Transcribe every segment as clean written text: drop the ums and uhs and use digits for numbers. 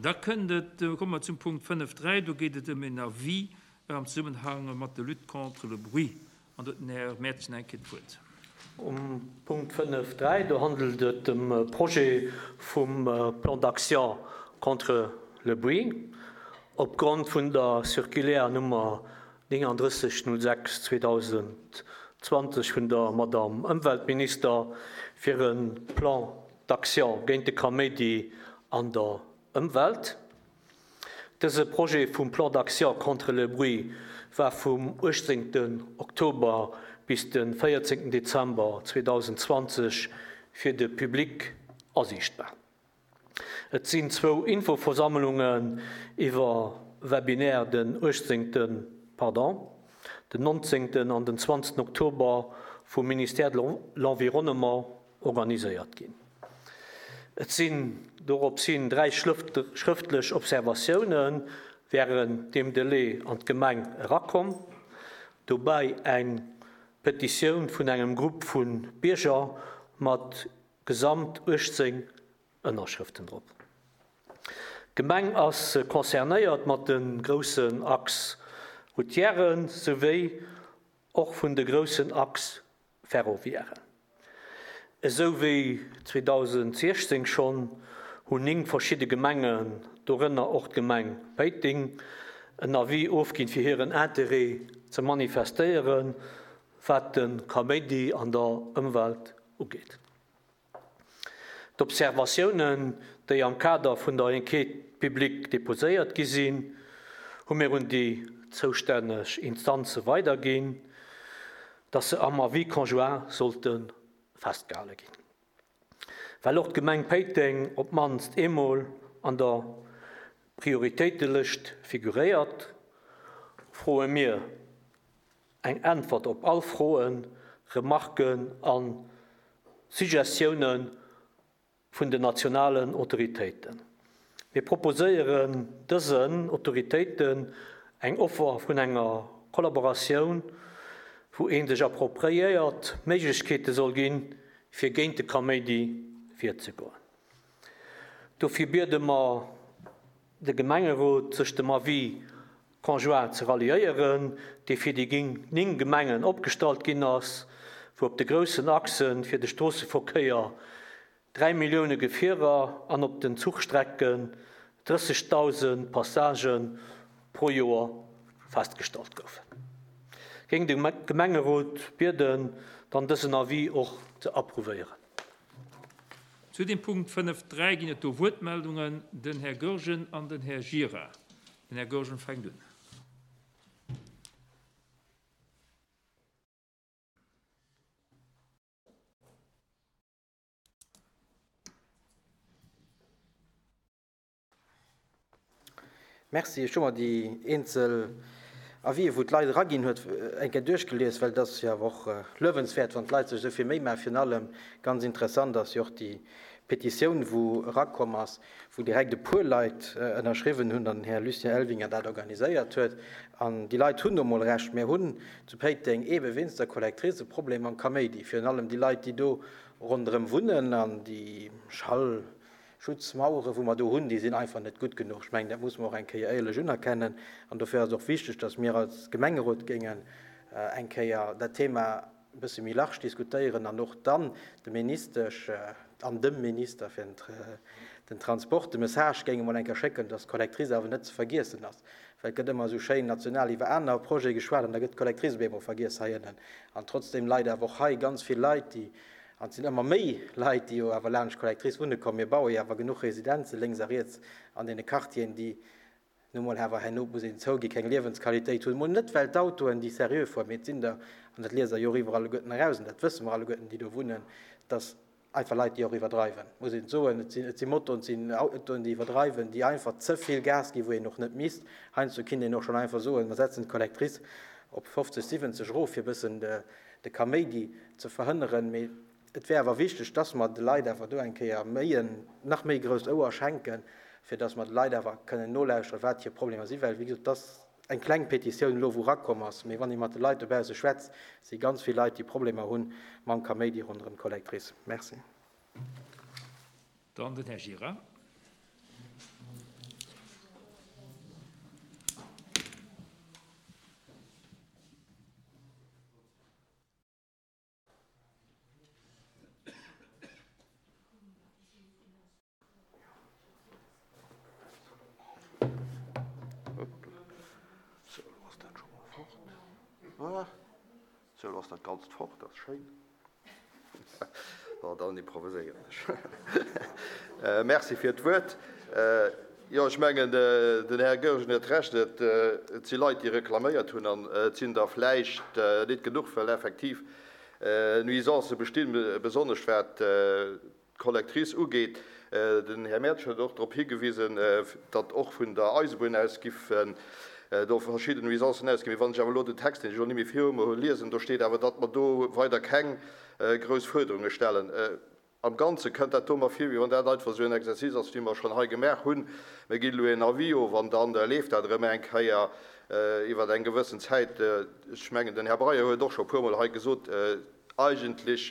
Da kënnt et, komme mer zum Punkt 5.3, do geet et ëm en Avis am Zesummenhang mat der Lutte contre le bruit. An do huet den Här Mertgen eng Kéier d'Wuert. Um Punkt 5.3, do handelt et ëm e Projet vum Plan d'action contre le bruit. Opgrond vun der Circulaire Nummer 39 06 2020 vun der Madamm Ëmweltminister fir e Plan d'action géint de Kaméidi an der Ëmwelt. Dëse Projet vum Plan d'action contre le bruit war vum 18 Oktober bis de 14 Dezember 2020 fir de Public asiichtbar. Et sinn zwou Infoversammlungen iwwer Webinaire den 18, pardon, den 19 an den 20 Oktober vum Ministère de l'Environnement organiséiert ginn. Et sinn dorops hin 3 schrëftlech Observatioune wärend deem Delai an d'Gemeng erakomm, dobäi eng Petitioun vun engem Grupp vu Bierger mat gesamt 18 Ënnerschrëften drop. D'Gemeng ass concernéiert mat de groussen Axe routieren souwéi och vun de groussen Axe ferroviairen. Esou wéi 2016 schonn, hunn 9 verschidde Gemengen, dorënner och d'Gemeng Péiteng, en Avis ofginn, fir hiren Interêt ze manifestéieren, wat de Kaméidi an der Ëmwelt ugeet. D'Observatiounen, déi am Kader vun der Enquête publique deposéiert gi sinn, hu mir un déi zoustänneg Instanze weiderginn, dass se am Avis conjoint sollte festgehale ginn. Well och d'Gemeng Péiteng op d'mannst eemol an der Prioritéitelëscht figuréiert, froe mir Eng Äntwert op all Froen, Remarken a Suggestioune vun den nationalen Autoritéiten. Mir proposéieren dësen Autoritéiten eng Offer vun enger Kollaboratioun, wou ee sech appropriéiert Méiglechkeete soll ginn, fir géint de Kaméidi virzegoen. Dofir biede mer de Gemengerot, sech dem Avis conjoint ze ralliéieren, dee fir déi 9 Gemengen opgestallt ginn ass, wou op de groussen Achse fir de Stroosseverkéier 3 Millioune Gefierer an op den Zuchstrecken 30.000 Passagë pro Joer festgestallt goufen. Géing de Gemengerot bieden, dann dësen Avis och ze approuvéieren. Zu dem Punkt 5, 3 ginn et do Wuertmeldungen, den Här Goergen an den Här Gira. Den Här Goergen fänkt un. Merci. Ech hu mer déi eenzel Avisen, wou d'Leit eraginn huet, eng Kéier duerchgelies, well et ass jo awer och luewenswäert, wann d'Leit sech esou vill Méi maachen. Virun allem ganz interessant ass jo och déi Petitioun, wou erakomm ass, wou direkt e puer Leit ënnerschriwwen hunn an den Här Lucien Elvinger dat organiséiert huet. An déi Leit hunn nu mol Recht. Mir hunn zu Péiteng eebe wéinst der Collectrice e Problem mam Kaméidi, virun allem déi Leit, déi do ronderëm wunnen an déi Schall, Schutzmauere wou mer do hunn, déi sinn einfach net gutt genuch. Ech mengen, dat muss mer och eng Kéier éierlech unerkennen. An dofir ass et och wichteg, datt mir als Gemengerot géingen eng Kéier dat Thema e bësse méi large diskutéieren an och dann dem Ministesch an dem Minister fir den Transport de Message géinge mol eng Kéier schécken, datt d'Collectrice awer net ze vergiessen ass. Well et gëtt ëmmer esou schéin national iwwer aner Projete geschwat an da gëtt d'Collectrice op eemol vergiess hei ënnen. An trotzdeem leit awer och hei ganz vill Leit, déi An et sinn ëmmer méi Leit, déi jo awer laanscht d'Collectrice wunne kommen. Mir baue jo awer genuch Residenze lénks a riets an deene Quartieren, déi nu mol awer herno, muss een zouginn, keng Liewensqualitéit hunn. Mol net well d'Autoen, déi seriö fueren, mee et sinn der, an dat liest Der jo och iwwerall alleguerten eraus, an dat wësse mer alleguerten, déi do wunnen, dass einfach Leit, déi och iwwerdreiwen, muss een soen. Et sinn, et si Motoen, et sinn Autoen, déi iwwerdreiwen, déi einfach ze vill Gas ginn, wou een och net misst. Heiansdo kinnt een och schonn einfach soen, mer setzen d'Collectrice op 50, 70 erof, fir e bëssen de, de Kaméidi ze verhënneren, mee et wär awer wichteg, dass mer de Leit awer do eng Kéier méi en nach méi grousst Ouer schenken, fir dass mer de Leit awer kënnen nolauschteren, wat hir Problemer sinn, well, wéi gesot, et ass eng kleng Petitioun elo, wou erakomm ass, mee wann ee mat de Leit dobausse schwätzt, si ganz vill Leit, déi Problemer hu mam Kaméidi ronderëm d'Collectrice. Merci. Dann den Här Gira. Sou, elo ass dat Ganzt fort, dat ass schéin. Bon, dann improviséieren ech. Merci fir d'Wuert. Jo, ech mengen, den Här Goergen huet Recht, et si Leit, déi reklaméiert hunn, an et sinn der vläicht net genuch, well effektiv Nuisancë bestinn, besonnesch wat d'Collectrice ugeet. Den Här Mertsch huet och drop higewisen, datt och vun der Eisebunn aus giffen do verschidden Nuisancen ausginn. Mee wann ech awer elo den Text, deen ech elo net méi viru mer hunn, liesen, do steet awer, datt mer do weider keng grouss Fuerderunge stellen. Am Ganze kënnt dat do mer vir, wéi wann dat einfach esou en Exercice ass, wéi mer schonn hei gemaach hunn. Mir ginn elo en Avis of an da leeft dat erëm eng Kéier iwwer eng gewëssen Zäit. Ech mengen, den Här Breyer huet och scho e puermol hei gesot, Eigentlech,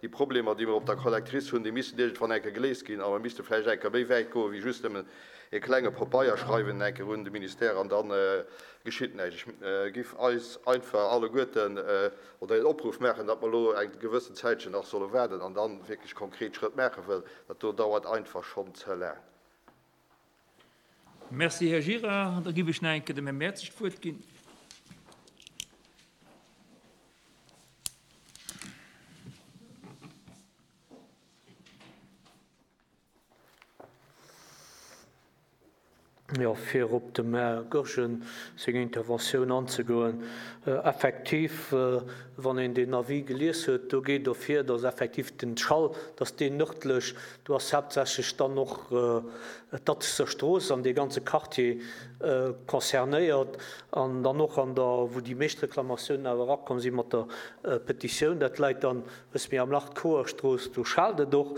déi Problemer, déi mer op der Collectrice hunn, déi missten iergendwann eng Kéier geléist ginn a mer misste vläicht eng Kéier méi wäit goen, wéi just nëmmen e klenge Pabeier schreiwen eng Kéier un de Ministère an da geschitt näischt. Ech giff eis einfach alleguerten oder een Opruff maachen, datt mer elo eng gewëssen Zäitchen nach solle waarden an dann wierklech konkret Schrëtt maachen, well dat do dauert einfach schonn ze laang. Merci, Här Gira. An da géif ech nach eng Kéier dem Här Mertzig d'Wuert ginn. Jo, fir op dem Här Goergen seng Interventioun anzegoen, Effektiv, wann een deen Avis gelies huet, do geet ervir, datt effektiv den Schall, datt deen nërdlech, do ass haaptsächlech dann och d'Atzeser Strooss an dee ganze Quartier concernéiert an dann och an der, wou déi meescht Reklamatiounen awer erakomm si mat der Petitioun, dat läit dann e bësse méi am Lach, d'Koerstrooss, do schaalt et och.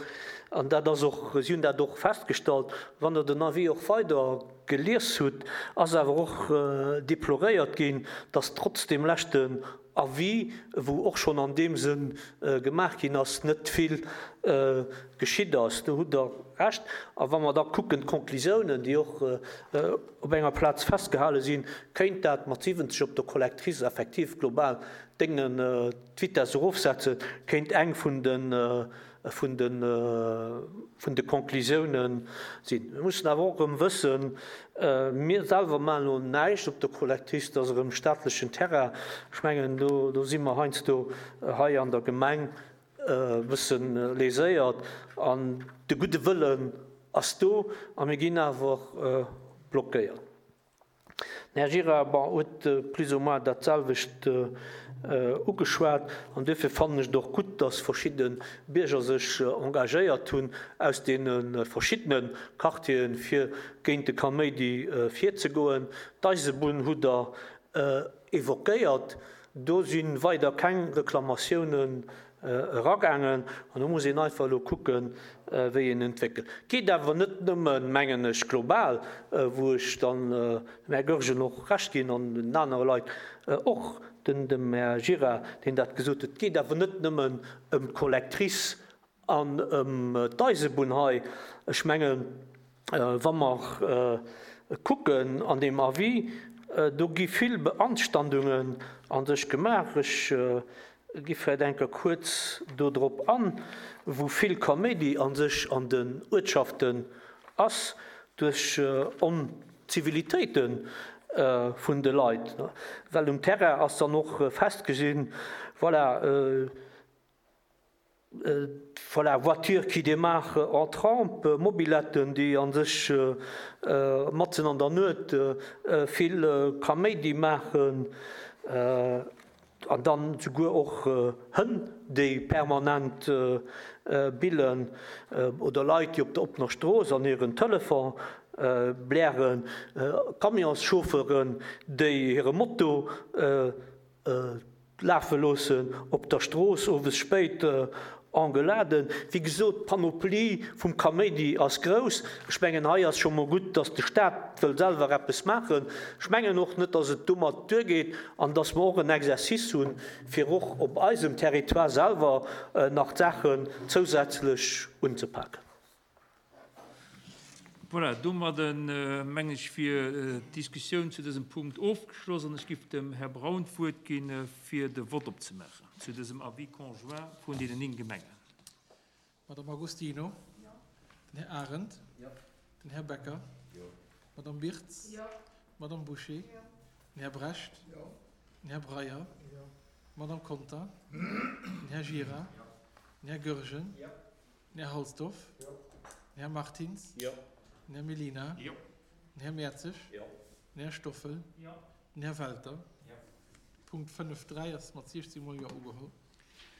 An dat ass och, si hunn dat och festgestallt. Wann Der den Avis och weider gelies hutt, ass awer och deploréiert ginn, dass trotz deem leschten Avis, wou och schonn an deem Sënn gemaach ginn ass, net vill geschitt ass. Do hutt Der Recht. A wa mer da kucken, d'Conclusiounen, déi och op enger Plaz festgehale sinn, kéint dat mat 70 op der Collectrice effektiv global déngen, d'Vitess erofsetzen, kéint eng vun de vun de vun de Conclusiounen sinn. Mir mussen awer och erëm wëssen, mir selwer maachen elo näischt op der Collectrice, dat ass erëm staatlechen Terrain. Ech mengen, do do si mer heiansdo hei an der Gemeng e bësse léséiert an de gudde Wëllen ass do a mir ginn awer blockéiert. Den Här Gira, bon, huet plus ou moins dat selwecht ugeschwat. An duerfir fannen ech et och gutt, dass verschidde Bierger sech engagéiert hunn aus deene verschiddene Quartieren, fir géint de Kaméidi virzegoen. D'Eisebunn hutt Der évoquéiert. Do si weider keng Reklamatiounen eragaangen an do muss een einfach elo kucken, wéi een entwéckelt. Et geet awer net nëmmen, mengen ech, global, wou ech dann dem Här Goergen och Recht ginn an den anere Leit och, dem Här Gira, deen dat gesot huet, et geet awer net nëmmen ëm d'Collectrice An ëm d'Eisebunn hei, ech mengen, wa mer kucken an deem Avis, do gi vill Beanstandungen a sech gemaach. Ech gi vläicht eng Kéier kuerz do drop an, wou vill Kaméidi a sech an den Uertschaften ass duerch Onzivilitéite vun de Leit. Well um Terrain ass dann och festgesinn, voilà, Voilà, voiture qui démarre en trempe, Mobiletten, déi a sech matzen an der Nuet vill Kaméidi maachen an dann souguer och Hënn, déi permanent billen oder Leit, déi op der oppener Strooss an hiren Telefon blären, Camionschauffeuren, déi hire Moto Lafe loossen op der Strooss, owes spéit, Engueuladen. Wéi gesot, d'Panoplie vum Kaméidi ass grouss. Ech mengen, hei ass scho mol gutt, datt de Staat wëll selwer eppes maachen. Ech mengen och net, datt et domat duergeet an datt mer och en Exercice hunn, fir och op eisem Territoire selwer nach d'Saachen zousätzlech unzepaken. Voilà, domadden, mengen ech, wier d'Diskussioun zu dësem Punkt ofgeschloss an ech giff dem Här Braun d'Wuert ginn, fir de Vott opzemaachen zu dësem Avis conjoint vun deenen 9 Gemengen. Madame Agostino. Jo. Den Här Arendt. Jo. Den Här Becker. Jo. D'Madame Birtz. Jo. D'Madame Bouché. Jo. Den Här Brecht. Jo. Den Här Breyer. D'Madame Conter. Den Här Gira. Den Här Goergen. Den Här Halsdorf. Den Här Martins. Den Här Mellina. Den Här Mertzig. Den Här Stoffel. Den Här Welter. Punkt 5.3 ass mat 16 mol Jo ugeholl.